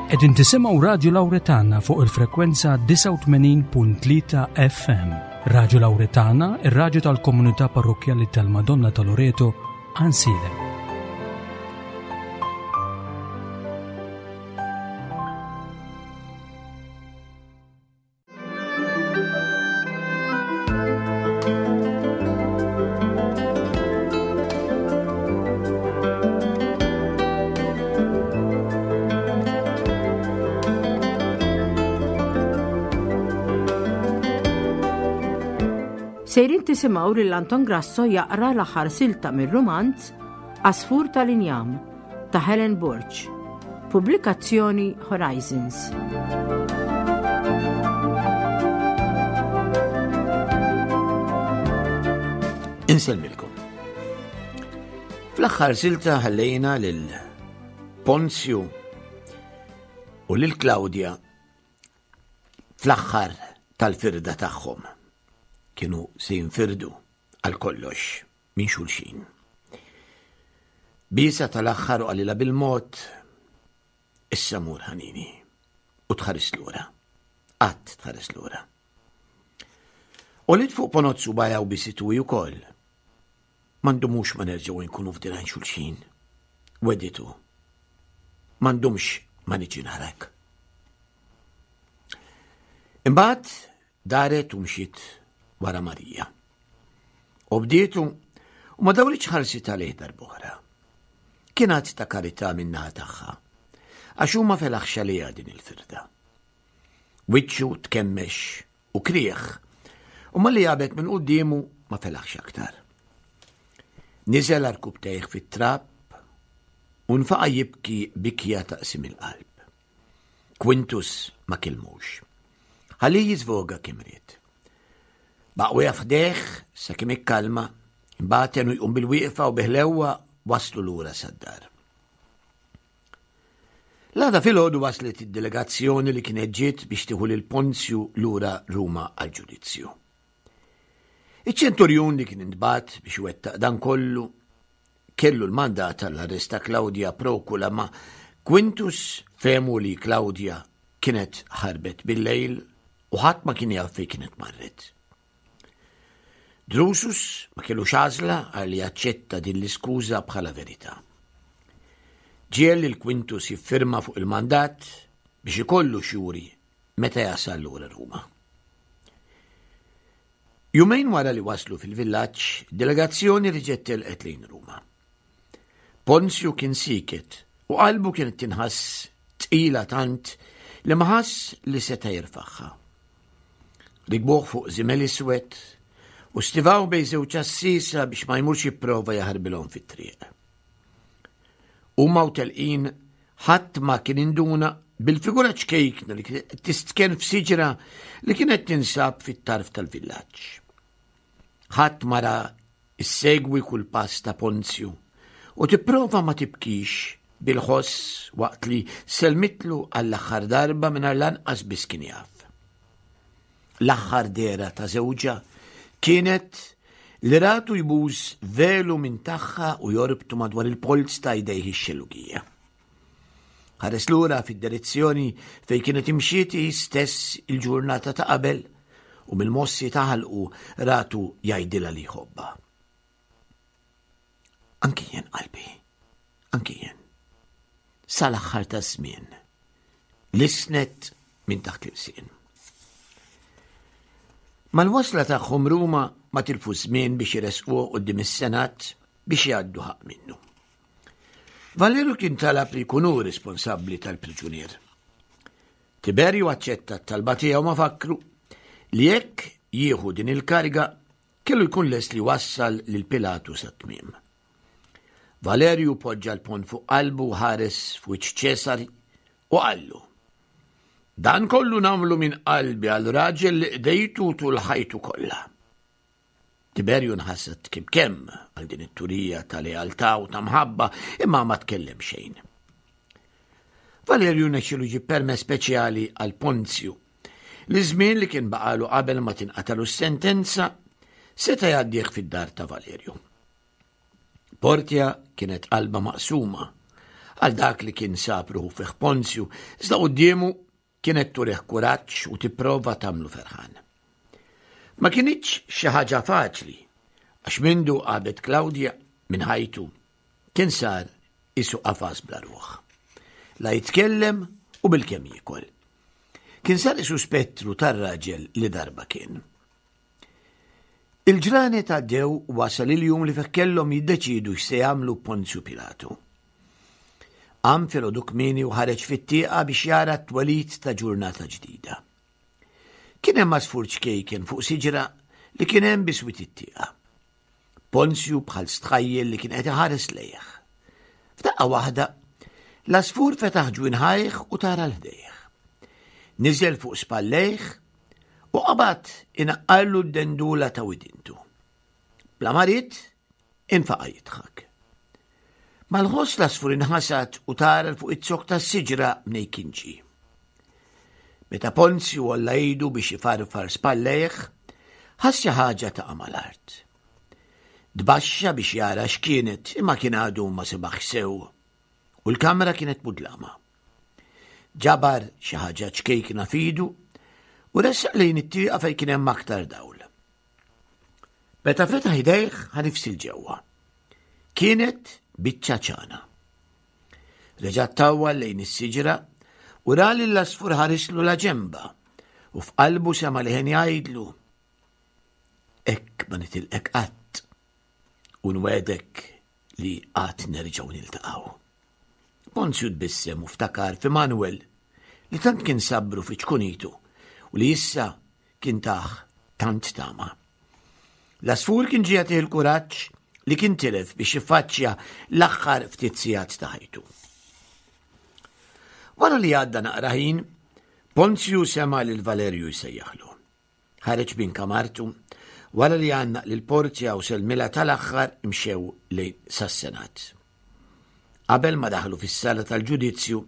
Qegħdin tisimgħu Radju Lawretana fuq il-frekwenza 89.3 FM. Radju Lawretana, ir-radju tal-komunità parrokkjali tal-Madonna ta' Loreto, Ansiedem. Sejrin tisimgħu lil Anton Grasso jaqra l-aħħar silta mir-rumanz Għasfur tal-Injam ta' Helen Borg. Pubblikazzjoni Horizons. Insellmilkom. Fl-aħħar silta ħallejna lil Ponzju u lil Claudia fl-aħħar tal-firda tagħhom. Kienu se jinfirdu għal kollox minn xulxin. Bisa tal-aħħar u qalilha bil-mod, issa mur ħanini u tħares lura. Qatt tħares lura. U li fuq ponozzu baja u bisitu ukoll. M'għandumux ma nerġgħu nkunu f'dirajn xulxin. Weditu. M'għandumx ma niġi narak. Imbagħad Daret u mxiet wara Marija. Obdietu u ma dawritx ħarsitha lejh darb'oħra. Kien att ta' karità min-naħa tagħha, għax hu ma felaħx għaliha din il-firda. Wiċċu tkemmex u krieħ, u malli għabet minn quddiemu ma felaħx aktar. Niżel għarkubbtejh fit-trab u nfaqa' jibki bikja ta' qsim il-qalb. Quintus ma kellmux. Ħallih jiżvoga kemm ried. Baqa' wieqaf ħdejh sakemm ikkalma, imbagħad għenu jqum bil-wieqfa u bi ħlewwa wasslu lura sad-dar. L-għada filgħodu waslet id-delegazzjoni li kienet ġiet biex tieħu lil Ponzju lura Ruma għall-ġudizzju. Iċ-ċenturjun li kien intbagħat biex iwettaq dan kollu kellu l-mandat għall-arrest ta' Claudia Procula ma Quintus fehmu li Claudia kienet ħarbet bil-lejl u ħadd ma kien jaf fejn kienet marret. Drusus ma kellux għażla għal li jaċċetta din l-iskuża bħala verità. Ġiel lil Quintus jiffirma fuq il-mandat biex ikollu xjuri meta jasal lura Ruma. Jumejn wara li waslu fil-villaġġ, delegazzjoni reġgħet telqet lejn Ruma. Ponzju kien sieket u qalbu kienet tinħass tqila tant li ma ħass li seta' jirfagħha. Rikbuh fuq żimel iswed u stivaw bejn żewġ għassiesa biex ma jmurx jipprova jaħarbilhom fit-triq. Huma u telqin ħadd ma kien induna bil-figura ċkejkna li kienet tistken f'siġra li kienet tinsab fit-tarf tal-villaġġ. Ħadd ma ra issegwi kull pass ta' Ponzju u tipprova ma tibkix bil-ħoss waqt li selmitlu għall-aħħar darba mingħajr lanqas biss kien jaf. L-aħħar dehra ta' żewġha kienet li ratu jbus velu minn tagħha u jorbtu madwar il-polz ta' jdejh ix-xellugija. Ħares lura fid-direzzjoni fejn kienet imxiet hi stess il-ġurnata ta' qabel u mill-mossi ta' ħalqu ratu jgħidilha li jħobbha. Anki jien qalbi, anki jien. Sal-aħħar taż-żmien. Lisnet minn taħt l-ilsien. Mal-wasla tagħhom Ruma ma tilfu żmien biex iresquh quddiem is-Senat biex jgħaddu ħaqq minnu. Valeru kien talab li jkun hu responsabbli tal-priġunier. Tiberju aċċetta t-talba tiegħu ma fakru li jekk jieħu din il-kariga Kellu jkun lest li jwassal lil Pilatu sat-tmiem. Valerju poġġa l-ponn fuq qalbu u ħares f'wiċċ Ċesari u qallu, Dan kollu nagħmlu minn qalbi għal raġel li qdejtu tul ħajtu kollha. Tiberju nħasad kemm kemm għal din it-turija ta' lealtà u ta' mħabba imma ma tkellem xejn. Valerju nexxilu ġib permess speċjali għal Ponzju li żmien li kien baqalu qabel ma tinqatalu s-sentenza seta' jgħaddih fid-dar ta' Valerju. Portia kienet qalba maqsuma. għal dak li kien sab ruħu fih Ponzju, iżda quddiemu kienet turih kuraġġ u tipprova tagħmlu ferħan. Ma kinitx xi ħaġa faċli, għax mindu għabet Klawdja minn ħajtu kien sar isu qafas bla ruħ. La jitkellem u bilkemm jiekol. Kien sar isu spettru tar-raġel li darba kien. Il-ġranet għaddew u wasal il-jum li fih kellhom jiddeċiedu x'se jagħmlu Ponzju Pilatu. Qam filgħodu kmieni u ħareġ fit-tieqa biex jara t-twelid ta' ġurnata ġdida. Kien hemm għasfur ċkejken fuq siġra li kien hemm biswit it-tieqa. Ponzju bħal stħajjel li kien qed iħares lejh. F'daqqa waħda, l-għasfur fetaħ ġwinħajh u tara l-ħdejh. Niżel fuq spallejh u qabad inaqqarlu d-dendula ta' widintu. Bla ma ried, infaqa' jidħak. Mal-ħoss l-għasfur inħasad u tara fuq iz-zokk tas-siġra mnej kien ġie. Meta Ponzju għolla idu biex ifarfar spallejh, ħass xi ħaġa taqa' mal-art. Tbaxxa biex jara x'kienet imma kien għadu ma sebaħx sew u l-kamra kienet mudlama. Ġabar xi ħaġa ċkejkna f'idu u ressaq lejn it-tieqa fejn kien hemm aktar dawl. Meta fetaħ idejh ħa nifs 'il ġewwa. Kienet biċċa ċana. Reġa' ttawwal lejn is-siġra u ra lill-għasfur ħarislu la ġenba u f'qalbu sema' leħen jgħidlu, Hekk ma nitilqek qatt u nwegħdek li għad nerġgħu niltaqgħu. Ponzju tbissem u ftakar fi Manuel li tant kien sabbru fi ċkunitu u li issa kien tah tant tama. L-għasfur kien ġie jagħtih il-kuraġġ li kien tilef biex jiffaċċja l-aħħar ftit sigħat ta' ħajtu. Wara li għadda naqra ħin, Ponzju sema' lil Valerju jsejjaħlu. Ħareġ minn kamartu, wara li għannaq lil Porzja u sellmilha tal-aħħar imxew lejn sas-Senat. Qabel ma daħlu fis-sala tal-ġudizzju,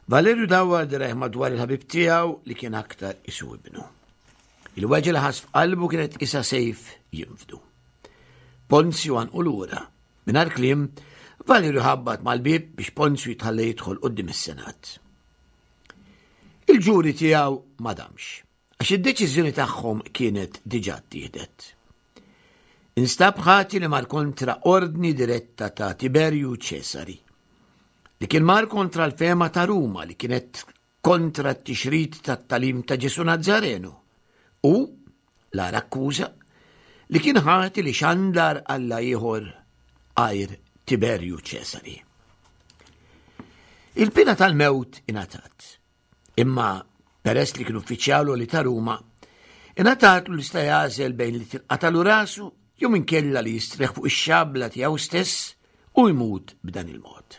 Valerju dawwar dirajh madwar il-ħabib tiegħu li kien aktar isu ibnu. Il-weġgħa li ħass f'qalbu kienet isa sejf jinfdu. Ponzju għanqu lura. Mingħajr kliem, Valerju ħabbat mal-bieb biex Ponzju jitħalla jidħol quddiem is-Senat. Il-ġuri tiegħu ma damx. Għax id-deċiżjoni tagħhom kienet diġà ttieħdet. Instab ħati li mar kontra ordni diretta ta' Tiberju Ċesari, li kien mar kontra l-fehma ta' Ruma li kienet kontra t-tixrid tat-tagħlim ta' Ġesù Nazzarenu u, l-agħar akkuża, li kien ħati li xandar alla ieħor għajr Tiberju Ċesari. Il-pina tal-mewt ingħatat. Imma peress li kien uffiċjal li ta' Ruma, ingħatatlu li sta jagħżel bejn li tinqatalu rasu jew inkella li jistrieħ fuq ix-xabla tiegħu stess u jmut b'dan il-mod.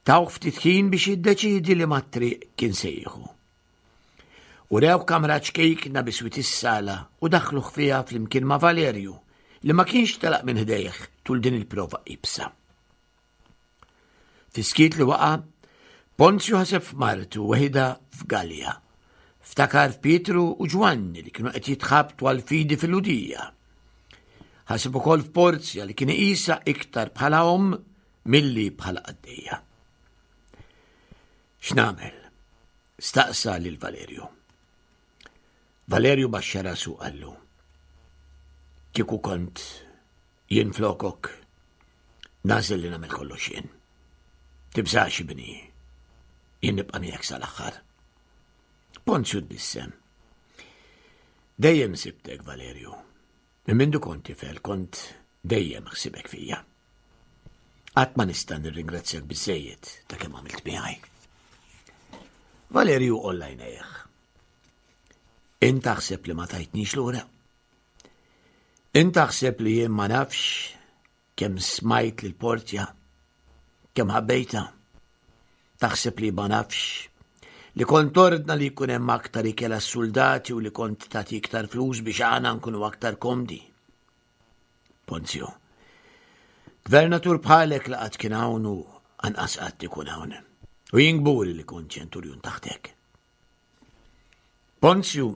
Tawh ftit ħin biex jiddeċiedi li mat-triq kien se jieħu. U rew kamra ċkejkna biswit is-sala u daħluh fiha flimkien ma' Valerju li ma kienx telaq minn ħdejh tul din il-prova ibsa. Fis-skiet li waqa', Ponzju ħaseb f'martu weħidha f'Galja. Ftakar f'Pietru u Ġwanni li kienu qed jitħabtu għall-fidi fil-Lhudija. Ħaseb ukoll f'Porzja li kien iqisha iktar bħala omm milli bħala qaddejja. X'nagħmel? Staqsa lil Valerju. Valerju baxxa rasu qallu. Kieku kont Jien flokok nagħżel li nagħmel kollox jien. Tibżax ibni, jien nibqa' miegħek sal-aħħar. Ponzju tbissem. Dejjem sibtek, Valerju. Minn mindu kont tifel kont dejjem ħsibek fija. Qatt ma nista' nirringrazzjak biżejjed ta' kemm għamilt miegħi. Valerju qolla jnejh. Int taħseb li ma tajtnix lura? Int taħseb li jien ma nafx kemm smajt lil Portia, kemm ħabbejtha? Taħseb li ma nafx li kont tordna li jkun hemm aktar ikel għas-suldati u li kont tagħti iktar flus biex aħna nkunu aktar komdi? Ponzio, gvernatur bħalek la qatt kien hawn u anqas qatt ikun hawn. U jien kburi li kont ċenturjun taħtek. Ponzju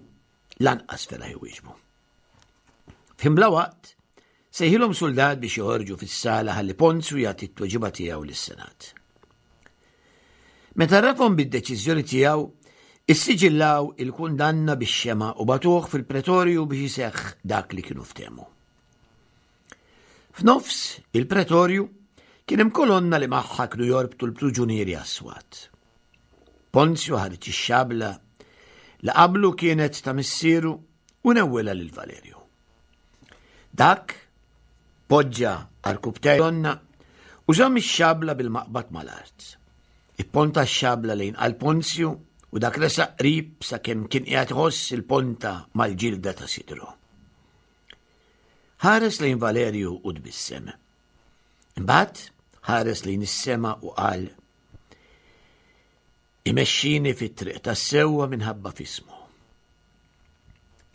lanqas felaħ iwieġbu. F'ħin bla waqt, Sejħilhom suldat biex joħorġu fis-sala ħalli Ponzju jagħti t-tweġiba tiegħu lis-Senat. Meta rafhom bid-deċiżjoni tiegħu, issiġillaw il-kundanna bix-xema u batuh fil-pretorju biex iseħħ dak li kienu ftehmu. F'nofs il-pretorju kien hemm kolonna li magħha kienu jorbtu l-pruġunieri għas-swat. Ponzju ħareġ ix-xabla li qablu kienet ta' missieru u newwilha lil Valerju. Dak poġġa għarkubtejh donna u żamm ix-xabla bil-maqbad mal-art. Ipponta x-xabla lejn qalb Ponzju u dak resaq qrib sakemm kien qiegħed iħoss il-ponta mal-ġilda ta' sidru. Ħares lejn Valerju u tbissem. Imbagħad ħares lejn is-sema u qal Imexxini fit-triq tas-sewwa minħabba f'ismu.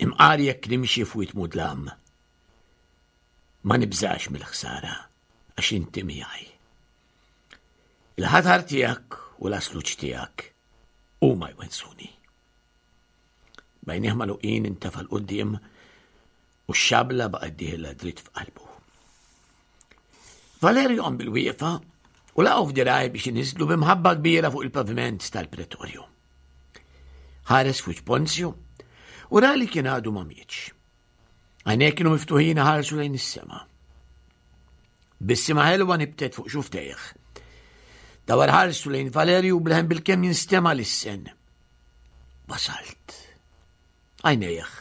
Imqar jekk nimxi f'wied mudlam, ma nibżax mill-ħsara għax inti miegħi. Il-ħatar tiegħek u l-asluċ tiegħek huma jwensuni. Bajnieh magħluqin intefa' 'l quddiem u x-xabla baqgħet dieħla dritt f'qalbu. Valerio qam bil-wieqfa u laqgħu f'diraj biex iniżlu b'imħabba kbira fuq il-paviment tal-pretorju. Ħares fuq Ponzju u ra li kien għadu ma mietx. Għajnejh kienu miftuħin ħarsu lejn is-sema. Bissima ħelwa nibtet fuq xuftejh. Dawar ħarsu lejn Valerju bleħen bil-kemm jinstema l-issen. Wasalt. Għajnejh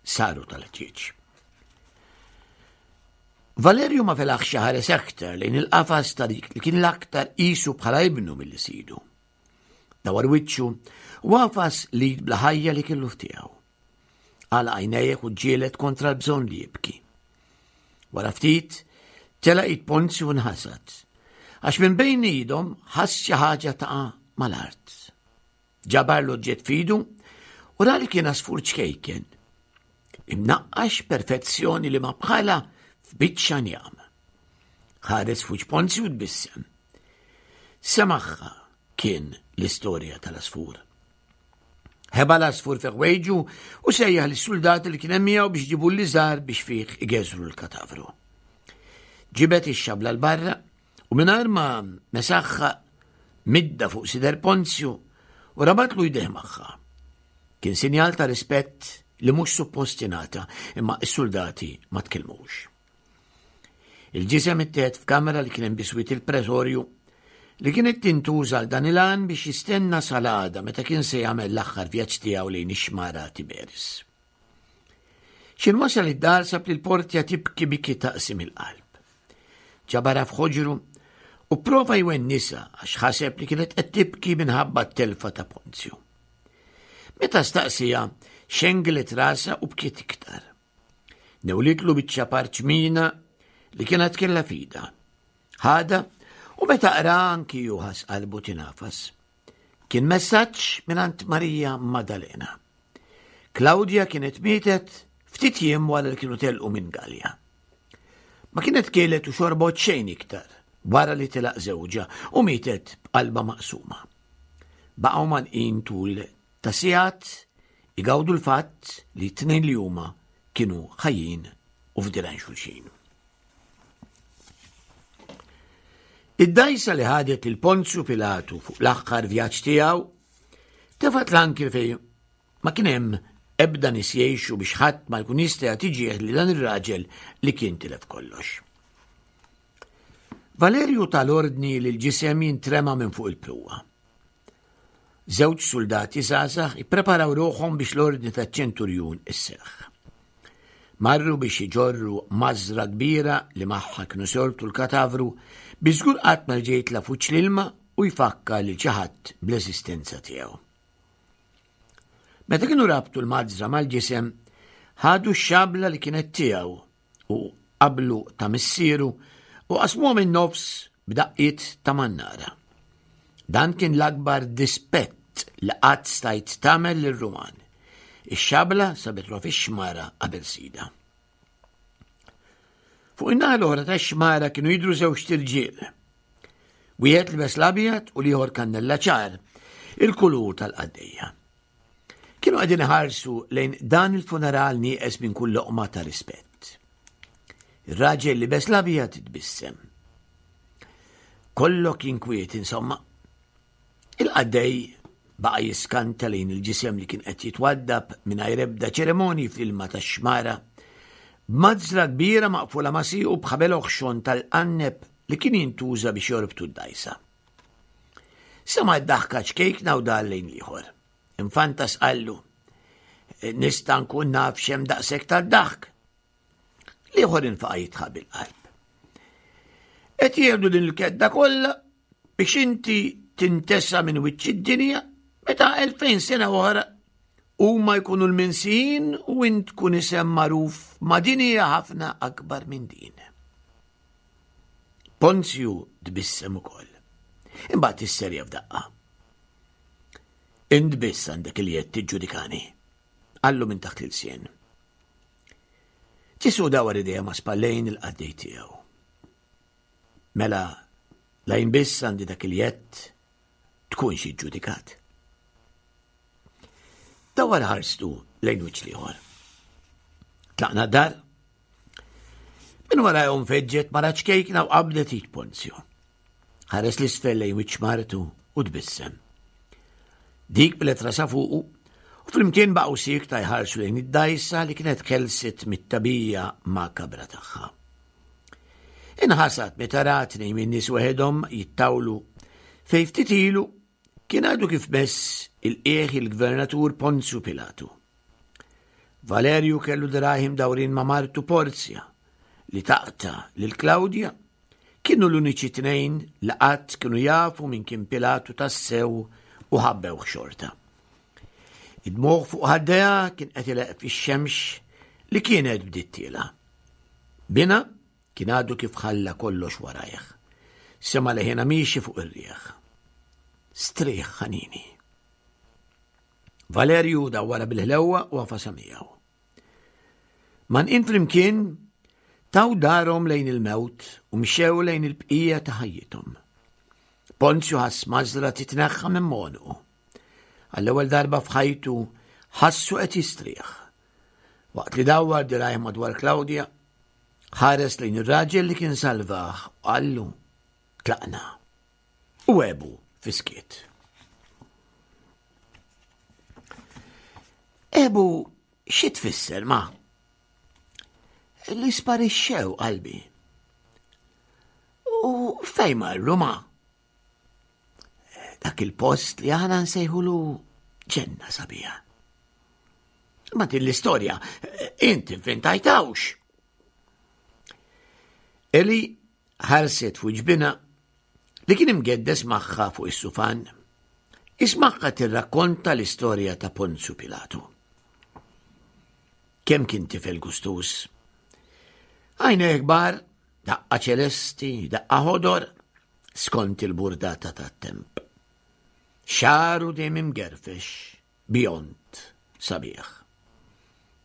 saru tal-ħġieġ. Valerju ma felaħx ħares aktar lejn il-qafas ta' dik li kien l-aktar qisu bħala ibnu milli sidu. Dawar wiċċu u għafas li bla ħajja li kellu ftiegħu. Għala għajnejh u ġielet kontra l-bżonn li jibki. Wara ftit, telaq id Ponzju nħasad, għax minn bejn idhom ħass xi ħaġa taqa' mal-art. Ġabar l-oġġett f'idu u ra li kien għasfur ċkejken. Imnaqqax perfezzjoni li ma bħala f'biċċa njam. Ħares fuq Ponzi u tbissem. Semaħħa kien l-istorja tal-asfur. Ħeba l-asfur fi ħwejġu u sejjaħ lis-suldati li kien hemm miegħu biex ġibu l-liżar biex fih igeżru l-katavru. Ġibet ix-xabla l-barra U mingħajr ma mesaħħa midda fuq sider Ponzju u rabatlu jdejh magħha. Kien sinjal ta' rispett li mhux suppost jingħata, imma s-suldati ma tkellmux. Il-ġisem ittieħed f'kamra li kien hemm biswit il-pretorju li kienet tintuża għal dan il-għan biex jistenna sal-għada meta kien se jagħmel l-aħħar vjaġġ tiegħu lejn ix-xmara Tiberis. X'in wasal id-dar sab lil Portia tibki biki taqsim il-qalb. Ġabarha f'ħoġru u prova jwennisa għax ħaseb li kienet qed tibki minħabba t-telfa ta' Ponzju. Meta staqsija, xenglet rasa u bkiet iktar. Newlitlu biċċa parċmina li kienet kella fida. Ħada u meta qra anki ju ħas qalbu tinafas. Kien messaġġ mingħand Marija Maddalena. Klawdja kienet mietet ftit jiem wara li kienu telqu minn Galja. Ma kienet kielet u xorbot xejn iktar wara li telaq żewġha u mietet b'qalba maqsuma. Baqgħu manqin tul ta' sigħat igawdu l-fatt li t-tnejn li huma kienu ħajjin u f'dirgħajn xulxin. Id-dgħajsa li ħadet lil Ponzju Pilatu fuq l-aħħar vjaġġ tiegħu tefgħet l-ankri fejn ma kien hemm ebda nies jgħixu biex ħadd ma jkun jista' jagħti ġieħ li dan ir-raġel li kien tilef kollox. Valerju tal-ordni li l-ġisem jintrema minn fuq il-pruwa. Żewġ suldati żgħażagħ ippreparaw ruħhom biex l-ordni taċ-ċenturjun isseħħ. Marru biex iġorru mażra kbira li magħha kienu sortu l-katavru biex żgur qatt ma jerġa' jitla' f'wiċċ l-ilma u jfakkar lil xi ħadd bl-eżistenza tiegħu. Meta kienu rabtu l-mażra mal-ġisem, ħadu x-xabla li kienet tiegħu u qablu ta' missieru u qasmuha min-nofs b'daqqiet ta' mannara. Dan kien l-akbar dispett li qatt stajt tagħmel lir-Ruman. Ix-xabla sabet ruħha fix-xmara qabel sidha. Fuq in-naħa l-oħra tax-xmara kienu jidhru żewġt irġiel. Wieħed libes l-abjad u l-ieħor kannella ċar, il-kulur tal-qaddejja. Kienu qegħdin iħarsu lejn dan il-funeral nieqes minn kull loqma ta' rispett. Ir-raġel libes l-abjad tbissem. Kollok inkwiet insomma. Il-qaddej baqa' jiskanta lejn il-ġisem li kien qed jitwaddab mingħajr ebda ċerimonji fl-ilma tax-xmara, b'mażra kbira maqfula ma' siequ b'ħabel oħxon tal-qanneb li kien jintuża biex jorbtu d-dgħajsa. Sema' d-daħka ċkejkna u dar lejn l-ieħor. Infantas qallu, Nista' nkun naf x'hemm daqshekk tad-daħk. L-ieħor infaqa' jidħaq bil-qalb. Qed jieħdu din il-kedda kollha biex inti tintesa minn wiċċ id-dinja meta 2000 sena oħra huma jkunu l-minsijin u int tkun isem magħruf ma' dinja ħafna akbar minn din. Ponzju tbissem ukoll. Imbagħad isserja f'daqqa. Int biss għandek il-jedd tiġġudikani. Qallu minn taħt l-ilsien. Ġesù dawar idejha ma' spallejn il-qaddej tiegħu. Mela, la jien biss għandi dak il-jedd tkunx iġġudikat. Dawar ħarstu lejn wiċċ l-ieħor. Tlaqna d-dar. Minn warajhom feġġet mara ċkejkna u qabdet id Ponzio. Ħares l-isfel lejn wiċċ martu u tbissem. Dik bilet rasa fuqu u flimkien baqgħu siekta jħarsu lejn id-dajsa li kienet ħelset mit-tabija makabra tagħha. Inħasad meta rat tnejn min-nies weħedhom jittawlu fejn ftit ilu kien għadu kif mess il-qiegħ il-Gvernatur Ponzju Pilatu. Valerju kellu dirgħajh imdawrin ma' martu Porzja li taqta' lil Klawdja kienu l-uniċi tnejn li qatt kienu jafu min kien Pilatu tassew u ħabbewh xorta. Id-dmugħ fuq ħaddejha kien qed ileqq fix-xemx li kienet bdiet tiela'. Binha kien għadu kif ħalla kollox warajh. Sema' leħinha miexi fuq ir-riħ. Strieħ ħanini. Valerju dawwarha bil-ħlewwa u għafasha miegħu. Manqin flimkien taw darhom lejn il-mewt u mxew lejn il-bqija ta' ħajjithom. Ponzju ħass mażra titneħħa minn għonqu. Għall-ewwel darba f'ħajtu ħassu qed jistrieħ. Waqt li dawwar dirajh madwar Klawdja, ħares lejn ir-raġel li kien salvah u qallu, Tlaqna. U għebu fi skiet. Ebu xi tfisser ma? Li sparixxew qalbi. U fejn marru ma? Dak il-post li aħna nsejħulu ġenna sabiħa. Ma din l-istorja int inventajtawx. Eli ħarset fuq ġbina li kien imgeddes magħha fuq is-sufan, ismagħha tirrakkonta l-istorja ta' Ponzju Pilatu. Kemm kien tifel gustuż. Għajnejh kbar, daqqa ċelesti, daqqa ħodor, skont il-burdata tat-temp. Xagħru dejjem imgerfex, bjond, sabiħ.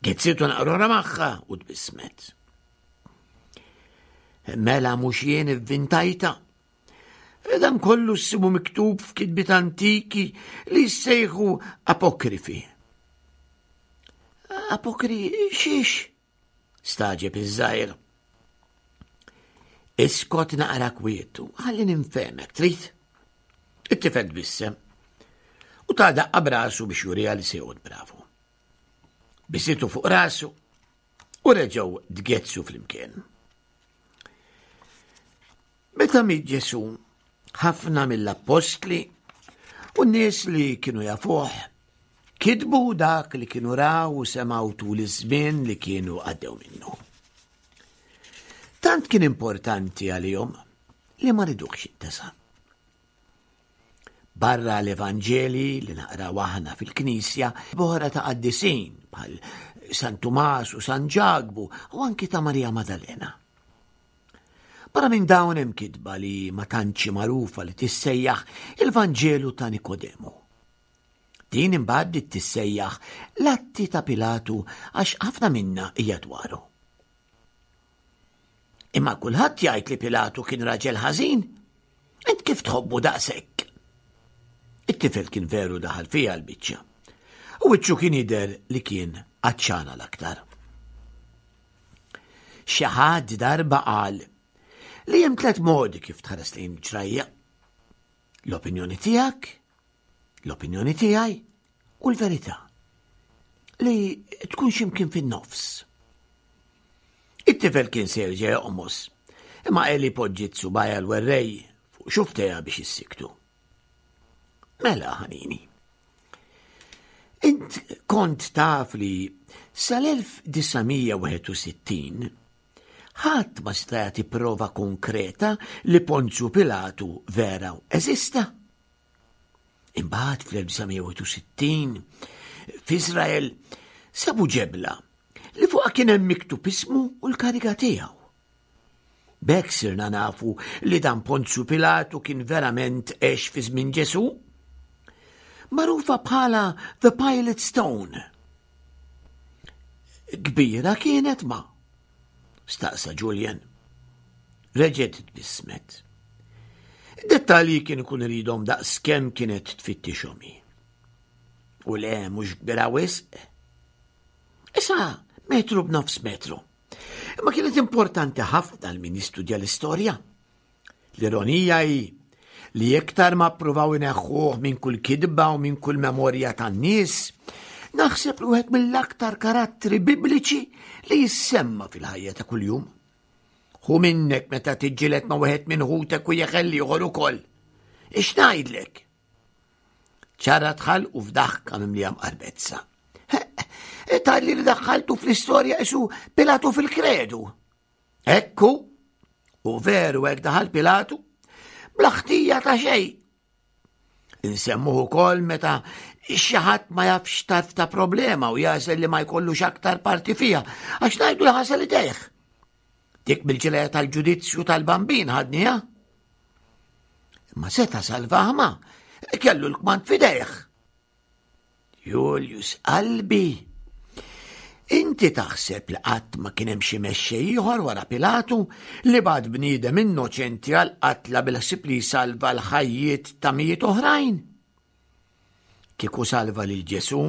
Gezzitu naqrora magħha u tbissmet. Mela mhux jien ivvintajta. Dan kollu ssibu miktub f'kitbiet antiki li jissejħu apokrifi. Apokri xiex? Staġeb iż-żgħir. Iskot naqra kwietu, ħalli ninfehmek, trid? It-tifel tbissem u ta' daqqa brasu biex juriha li se joqgħod bravu. Bisitu fuq rasu u reġgħu tgezzu flimkien. Meta miet Ġesù, ħafna mill-appostli u n-nies li kienu jafuh kitbu dak li kienu raw u semgħu tul iż-żmien li kienu għaddew minnu. Tant kien importanti għalihom li ma ridux jintesa. Barra l-Evanġeli li naqraw aħna fil-Knisja, boħra ta' qaddisin bħal San Tumas u San Ġakbu u anki ta' Marija Madalena. Barra minn dawn hemm kitba li ma tantx magħrufa li tissejjaħ il-Vanġelu ta' Nikodemu. Din imbagħad bdiet tissejjaħ l-Atti ta' Pilatu għax ħafna minnha hija dwaru. Imma kulħadd jgħid li Pilatu kien raġel ħażin. Int kif tħobbu daqshekk? It-tifel kien veru daħal fiha l-biċċa. U wiċċu kien jidher li kien għatxana l-aktar. Xi ħadd darba qal li hemm tlet modi kif tħares lejn ġrajja. L-opinjoni tiegħek, l-opinjoni tiegħi u l-verità. Li tkun x'imkien fin-nofs. It-tifel kien se jerġa' joqmos, imma Eli poġġiet subgħajha l-werrej fuq xuftejha biex issiktu. Mela, ħanini. Int kont taf li sal-1961 ħadd ma seta' jagħti prova konkreta li Ponzju Pilatu vera eżista. Imbagħad fl-1961 f'Iżrael sabu ġebla li fuqha kien hemm miktub ismu u l-kariga tiegħu. B'hekk sirna nafu li dan Ponzju Pilatu kien verament għex fi żmien Ġesù. Magħrufa bħala The Pilot Stone. Kbira kienet ma? Staqsa Julian. Reġgħet tbissmet. Id-dettalji kien ikun iridhom daqs kemm kienet tfittixhom hi. U le mhux kbira wisq. Issa metru b'nofs metru. Imma kienet importanti ħafna għal min jistudja l-istorja. L-ironija hi li iktar ma ppruvaw ineħħuh minn kull kidba u minn kull memorja tan-nies, naħseb li wieħed mill-aktar karattri bibliċi li jissemma fil-ħajja ta' kuljum. Hu minnek meta tiġġieled ma' wieħed minn ħutek u jeħel ieħor ukoll. Ix ngħidlek? ċara tħal u f'daħka mimlija mqarbezza. Talli li daħħaltu fl-istorja isu Pilatu fil-kredu. Ekku, u veru hekk daħal Pilatu, bla ħtija ta' xejn. Insemmuh ukoll meta xi ħadd ma jafx tarf ta' problema u jażel li ma jkollux aktar parti fiha għax ngħidu li ħasel idejh. Dik mill-ġilja tal-ġudizzju tal-bambin ħadniha. Imma seta' salvaha ma kellu l-kmand f'idejh. Julius qalbi, inti taħseb li qatt ma kien hemm xi mexxej ieħor wara Pilatu li bagħat bniedem innoċenti għal qatla bil-ħsieb li jsalva l-ħajjiet ta' mijiet oħrajn? Kieku salva lil Ġesù,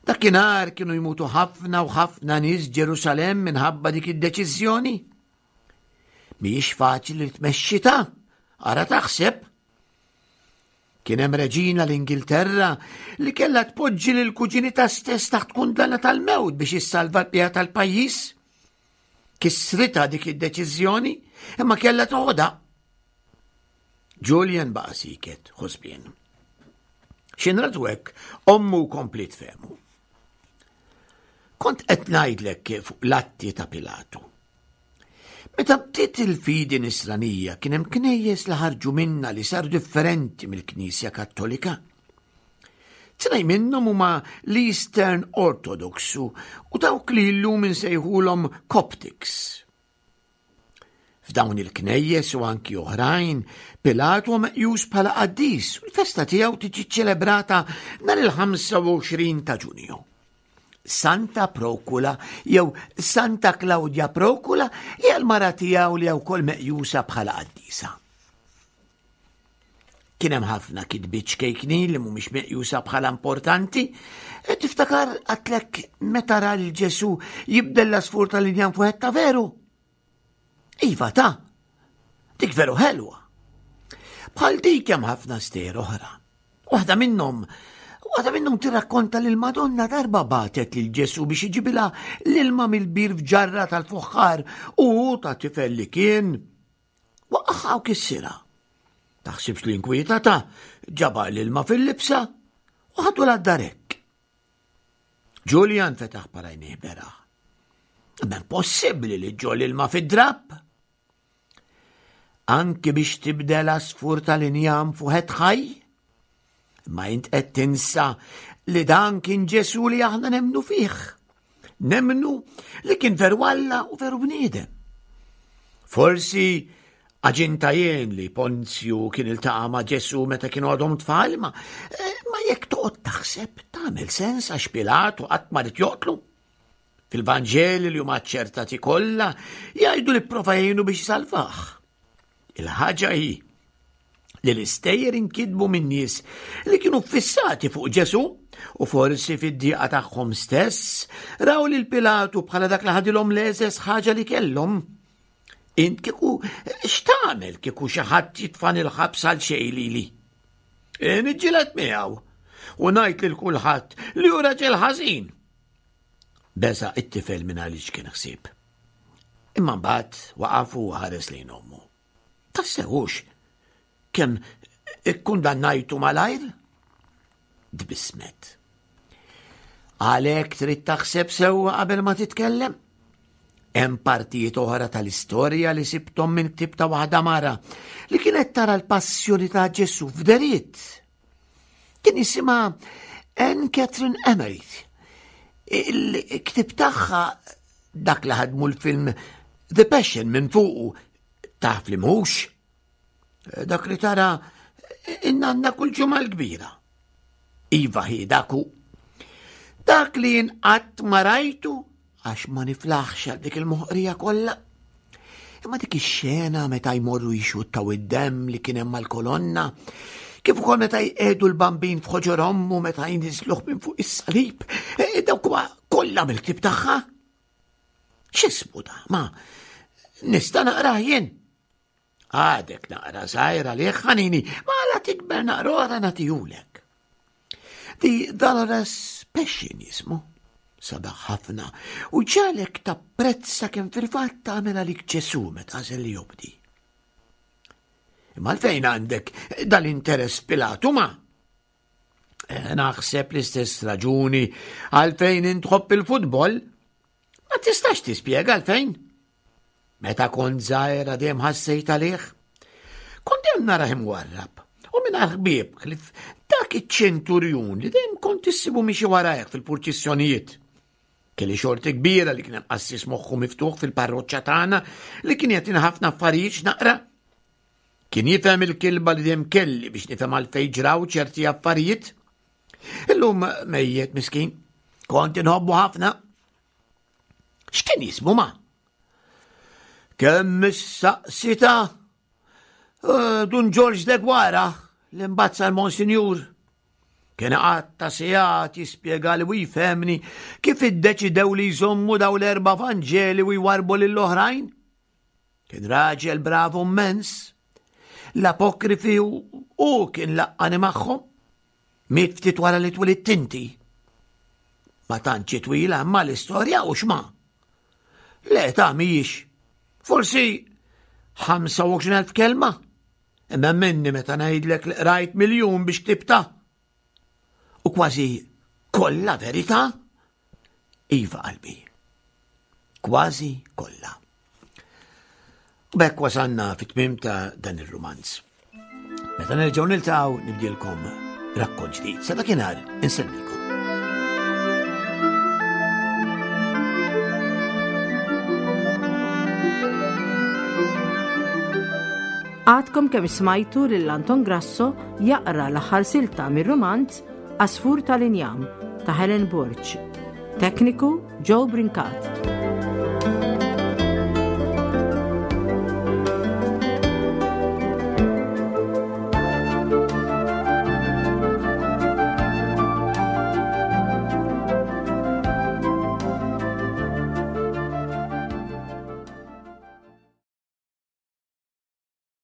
dakinhar kienu jmutu ħafna u ħafna nies Ġerusalemm minħabba dik id-deċiżjoni. Mhijiex faċli li tmexxi ta' ara taħseb. Kien hemm reġina l-Ingilterra li kellha tpoġġi lil kuġinita stess taħt kundanna tal-mewt biex issalva l-pija tal-pajjiż. Kisrita dik id-deċiżjoni imma kellha toħodha. Julian baqa' siket, ħosbien. Xinratu hekk, ommu komplit fehmu. Kont qed ngħidlek fuq l-atti ta' Pilatu. Meta bdiet il-fidi nisranija kien hemm knejjes li ħarġu minna li saru differenti mill-Knisja Kattolika. Tnej minnhom huma l-Eastern Orthodox u dawk li llum insejħulhom Coptics. F'dawn il-knejjes u anki oħrajn, Pilat huwa meqjus bħala qaddis u l-festa tiegħu tiġi ċelebrata nhar il-25 ta' Ġunju. Santa Procula jew Santa Claudia Procula hija l-mara tiegħu li wkoll meqjusa bħala qaddisa. Kien hemm ħafna kitbiet ċkejknin li mhumiex meqjusa bħala importanti. E tiftakar għatlek meta ra lil Ġesu jibdel l-asfur tal-injam fuq ta' veru? Iva ta' dik veru ħelwa. Bħal dik hemm ħafna stejjer oħra. Waħda minnhom Waħda minnhom tirrakkonta li l-Madonna darba batet lil Ġesu biex iġibilha l-ilma mill-bir f'ġarra tal-fuħħar u ta' tifel li kien Waqqaħha u kissirha. Taħsibx li inkwietata, ġabha l-ilma fil-libsa u ħadu l-darek. Julian fetaħ parajnih beraħ. Ma possibbli li ġo l-ilma fid-drapp. Anki biex tibdel asfur tal-injam fuħet ħaj? Ma int qed tinsa li dan kien Ġesu li aħna nemnu fih. Nemnu li kien veru Alla u veru bniedem. Forsi aġinta jien li Ponzju kien iltaqa' ma' Ġesu meta kienu għadhom tfal, ma, eh, ma jekk toqgħod taħseb tagħmel sens għax Pilatu qatt ma rid joqtlu. Fil-Vanġeli li huma ċertati kollha jgħidu li prova jgħinu biex salvah. Il-ħaġa hi. Li l-istejjer inkitbu minn nies li kienu ffissati fuq Ġesù u forsi fid-diqa tagħhom stess raw lil Pilatu bħala dak li ħadilhom l-eżes ħaġa li kellhom. Int kieku x'tagħmel kieku xi ħadd jitfan il-ħabs għal xejn lili? E, niġġieled miegħu u ngħid lil kulħadd li hu raġel ħażin. Beża' it-tifel minn għaliex kien ħsieb. Imma mbagħad waqaf u ħares lejn ommu. Tassewux kemm ikkundannajtu malajr? Tbissmet. Għalhekk trid taħseb sewwa qabel ma titkellem. Hemm partijiet oħra tal-istorja li sibthom minn ktib ta' waħda mara li kienet tara l-passjoni ta' Ġesu f'deriet. Kien jisimha Anne Catherine Emery. Il-ktib tagħha dak li ħadmu l-film The Passion minn fuqu taf li mhux. Dak li tara in-nanna kull ġimgħa l-kbira. Iva hi dak hu. Dak li jien qatt ma rajtu għax ma niflaħx għal dik il-moħqrija kollha. Imma dik ix-xena meta jmorru jxuttaw id-demm li kien hemm mal-kolonna, kif ukoll meta jqegħdu l-bambin f'ħoġor ommu meta jniżluh minn fuq is-salib, e, dawk huwa kollha mill-ktieb tagħha. X'ismu da? Ma nista' naqrah jien. Għadek naqra żgħira għalih ħanini, ma la tikber naqra oħra nagħtihulek. The Dolores Passion jismu. Sabaħ ħafna u ġalek tapprezza kemm fil-fatt tagħmel għalik Ġesu meta għażel li jobdi. Imma għalfejn għandek dal-interess Pilatu ma? Eh, naħseb l-istess raġuni għalfejn intħobb il-futbol. Ma tistax tispjega għalfejn. Meta kont żgħira dejjem ħassejt għalih. Kont dejjem narah imwarrab u mingħajr ħbieb ħlief dak iċ-ċenturjun li dejjem kont issibu miexi warajh fil-purċissjonijiet. Kelli xorti kbira li kien hemm qassis moħħu miftuħ fil-parroċċa tagħna li kien jagħtina ħafna affarijiet x'naqra. Kien jifhem il-kilba li dejjem kelli biex nifhem għalfejn ġraw ċerti affarijiet. Illum mejjet miskin, kont inħobbu ħafna. X'kien jismu ma? Kemm issaqsita eh, Dun Ġorġ Degwara li mbagħad sar Monsinjur. Kien qatta sigħat jispjega li u jfehmni kif iddeċidew li jżommu daw l-erba' Vanġeli u jwarbu lill-oħrajn. Kien raġel bravu immens. L-apokrifi u kien laqqani magħhom. Miet ftit wara li twilidt inti. Ma tantx twila imma l-istorja u xma. Le ta' mhijiex. Forsi 25,000 kelma. Imma minni meta ngħidlek li qrajt miljun biex ktibta. U kważi kollha verità. Iva qalbi. Kważi kollha. U bekk wasanna fit-tmim ta' dan ir-rumanz. Meta nerġgħu niltaqgħu nibdielkom rakkont ġdid. Sa dakinhar insellmilkom. Għadkom kemm smajtu lil Anton Grasso jaqra l-aħħar silta mir-rumanz Għasfur tal-Injam ta' Helen Borg. Tekniku Joe Brincat.